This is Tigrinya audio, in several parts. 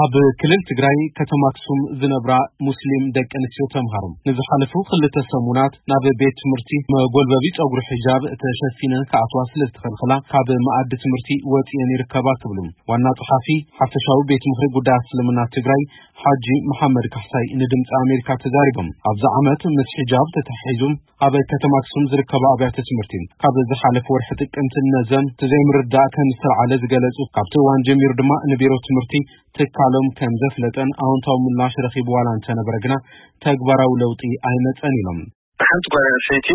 ኣብ ክልል ትግራይ ከተማ ኣክሱም ዝነብራ ሙስሊም ደቂ ኣንስትዮ ተምሃሮ ንዝሓለፉ ክልተ ሰሙናት ናብ ቤት ትምህርቲ መጎልበቢ ጸጉሪ ሒጃብ ተሸፊነን ክኣትዋ ስለ ዝተኸልኸላ ካብ መኣዲ ትምህርቲ ወጺኤን ይርከባ ክብሉ ዋና ጸሓፊ ሓፈሻዊ ቤት ምኽሪ ጉዳያት እስልምና ትግራይ ሓጂ መሓመድ ካሕሳይ ንድምፂ ኣሜሪካ ተዛሪቦም። ኣብዚ ዓመት ምስ ሒጃብ ተተሓሒዙ ኣብ ከተማ ኣክሱም ዝርከባ ኣብያተ ትምህርቲ ካብ ዝሓለፈ ወርሒ ጥቅምቲ ነዘም ዘይምርዳእ ከም ዝተለዓለ ዝገለጹ፣ ካብቲ እዋን ጀሚሩ ድማ ንቢሮ ትምህርቲ ትካሎም ከም ዘፍለጠን ኣወንታዊ ምላሽ ረኺቡ ዋላ እንተነበረ ግና ተግባራዊ ለውጢ ኣይመጸን ኢሎም። ሓንቲ ጓል ኣንስተይቲ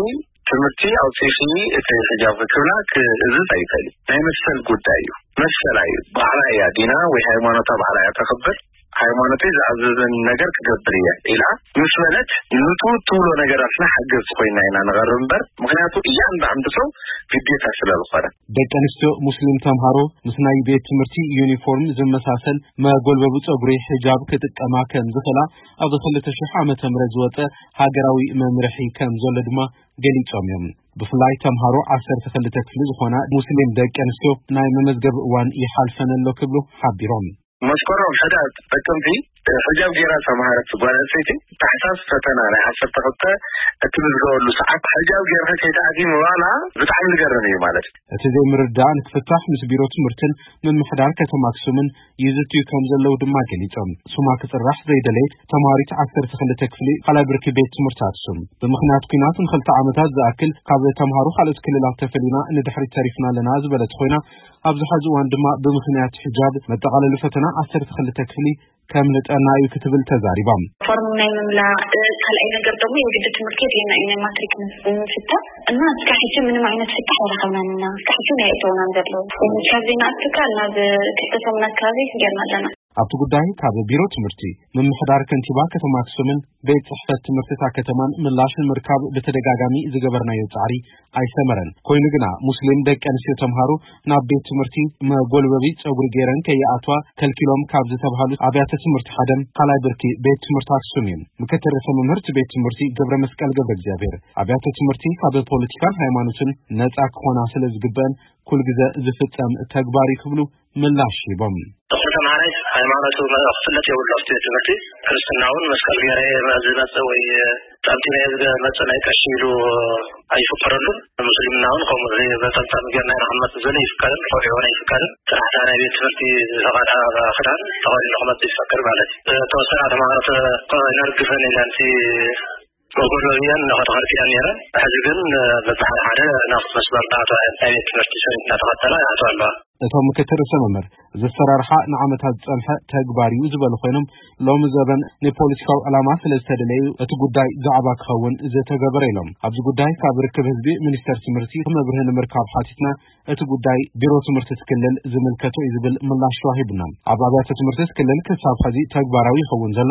ትምህርቲ ኣውፂእኺ እቲ ሒጃብ ክብላ ክእዝዝ ኣይኽእል እዩ። ናይ መሰል ጉዳይ እዩ። መሰላ እዩ። ባዕላ እያ ዲና ወይ ሃይማኖታ ባዕላ እያ ተኽብር። ሃይማኖተይ ዝኣዘዘን ነገር ክገብር እየ ኢላ ምስ በለት፣ ንቱ ትብሎ ነገራትና ሓገዝቲ ኮይና ኢና ንቐርብ እምበር፣ ምኽንያቱ እያንዳንዱ ሰው ግዴታ ስለ ዝኾነ። ደቂ ኣንስትዮ ሙስሊም ተምሃሮ ምስ ናይ ቤት ትምህርቲ ዩኒፎርም ዝመሳሰል መጎልበቢ ጸጉሪ ሒጃብ ክጥቀማ ከም ዝኽእላ ኣብ ክልተ ሽሕ ዓመተ ምህረት ዝወጸ ሃገራዊ መምርሒ ከም ዘሎ ድማ ገሊጾም እዮም። ብፍላይ ተምሃሮ ዓሰርተ ክልተ ክፍሊ ዝኾና ሙስሊም ደቂ ኣንስትዮ ናይ መመዝገቢ እዋን ይሓልፈን ኣሎ ክብሉ ሓቢሮም። መስከረም ሕዳር ጥቅምቲ ሕጃብ ጌራ ዝተምሃረት ጓል ኣንስተይቲ ታሕሳስ ፈተና ናይ ዓሰርተ ክልተ እትምዝገበሉ ሰዓት ሕጃብ ጌርካ ከይትኣትዊ ምባላ ብጣዕሚ ዝገርም እዩ ማለት እዩ። እቲ ዘይምርዳእ ንክፍታሕ ምስ ቢሮ ትምህርትን ምምሕዳር ከተማ ኣክሱምን ይዝትዩ ከም ዘለዉ ድማ ገሊጾም። ስማ ክጽራሕ ዘይደለየት ተምሃሪት ዓሰርተ ክልተ ክፍሊ ካልኣይ ብርኪ ቤት ትምህርቲ ኣክሱም ብምኽንያት ኲናት ንክልተ ዓመታት ዝኣክል ካብ ተምሃሮ ካልኦት ክልላት ተፈሊና ንድሕሪት ተሪፍና ኣለና ዝበለት ኮይና፣ ኣብዚ ሐዚ እዋን ድማ ብምኽንያት ሒጃብ መጠቓለሊ ፈተና ዓሰርተ ክልተ ክፍሊ ከምልጠና እዩ ክትብል ተዛሪባ። ፎርም ናይ ምምላእ፣ እ፣ ካልኣይ ነገር ደግሞ የግድ ትምህርቲ የድልየና እዩ ናይ ማትሪክ ምስ-፣ ምፍታን እና እስካብ ሕጂ ምንም ዓይነት ፍታሕ ኣይረኸብናን ኢና። እስካብ ሕጂ እውን ኣይእተውናን ዘለዉ። ካብ ዘይንኣቱ ካብ ናብ ክልተ ሰሙን ኣካባቢ ጌርና ኣለና። ኣብቲ ጉዳይ ካብ ቢሮ ትምህርቲ፣ ምምሕዳር ከንቲባ ከተማ ኣክሱምን ቤት ጽሕፈት ትምህርቲ እታ ከተማን ምላሽ ንምርካብ ብተደጋጋሚ ዝገበርናዮ ጻዕሪ ኣይሰመረን። ኮይኑ ግና ሙስሊም ደቂ ኣንስትዮ ተምሃሮ ናብ ቤት ትምህርቲ መጎልበቢ ጸጉሪ ገይረን ከይኣትዋ ከልኪሎም ካብ ዝተባህሉ ኣብያተ ትምህርቲ ሓደ ካልኣይ ብርኪ ቤት ትምህርቲ ኣክሱም እዩ። ምክትል ርእሰ መምህር እቲ ቤት ትምህርቲ ገብረ መስቀል ገብረ እግዚኣብሔር ኣብያተ ትምህርቲ ካብ ፖለቲካን ሃይማኖትን ነጻ ክኾና ስለ ዝግበአን ኩል ግዘ ዝፍጸም ተግባር እዩ ክብሉ ምላሽ ሂቦም። እኹል ተምሃራይ ሃይማኖቱ መ-፣ ክፍለጥ የብሉ። ኣብቲ ቤት ትምህርቲ ክርስትና እውን መስቀል ገይረ እየ ዝመጽእ ወይ ጠምጢመ እየ ዝመጽእ ናይ ቀሺ ኢሉ ኣይፍቀደሉን። ሙስሊምና እውን ከምኡ ዘይ-፣ በጠምጣም ጌርና ኢና ክንመጽእ ዘሎ ይፍቀድን፣ ቆልዑ እውን ኣይፍቀድን። ጥራሕ እታ ናይ ቤት ትምህርቲ ዝፈቐዳ ክዳን ተኸዲኑ ክመጽእ ይፈቀድ ማለት እዩ። ተወሰና ተምሃሮ ተ-፣ ይነርግፈን ኢለን እቲ መጎልበቢያን እናኸተኸርቲያን ነይረን። ሕዚ ግን በብሓደ ሓደ ናብ መስመር እናኣተዋ እየን። ናይ ቤት ትምህርቲ ሰሪት እናተኸተላ ይኣተዋ ኣለዋ። እቶም ምክትል ርእሰ መምህር፣ እዚ ኣሰራርሓ ንዓመታት ዝጸንሐ ተግባር እዩ ዝበሉ ኮይኖም፣ ሎሚ ዘበን ንፖለቲካዊ ዕላማ ስለ ዝተደለየ እዩ እቲ ጉዳይ ዛዕባ ክኸውን ዝተገበረ ኢሎም። ኣብዚ ጉዳይ ካብ ርክብ ህዝቢ ሚኒስተር ትምህርቲ መብርሂ ንምርካብ ሓቲትና፣ እቲ ጉዳይ ቢሮ ትምህርቲ እቲ ክልል ዝምልከቶ እዩ ዝብል ምላሽ ተዋሂቡና። ኣብ ኣብያተ ትምህርቲ እቲ ክልል ክሳብ ሕዚ ተግባራዊ ይኸውን ዘሎ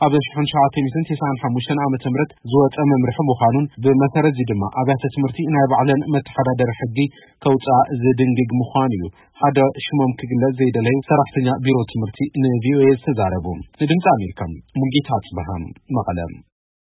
ኣብ ሽሕን ትሽዓተ ሚእትን ተስዓን ሓሙሽተን ዓመተ ምህረት ዝወጸ መምርሒ ምዃኑን ብመሰረት እዚ ድማ ኣብያተ ትምህርቲ ናይ ባዕለን መተሓዳደሪ ሕጊ ከውጽኣ ዝድንግግ ምዃኑ እዩ ሓደ ሽሞም ክግለጽ ዘይደለዩ ሰራሕተኛ ቢሮ ትምህርቲ ንቪኦኤ ዝተዛረቡ። ንድምፂ ኣሜሪካ ሙልጌታ ኣጽበሃ መቐለ።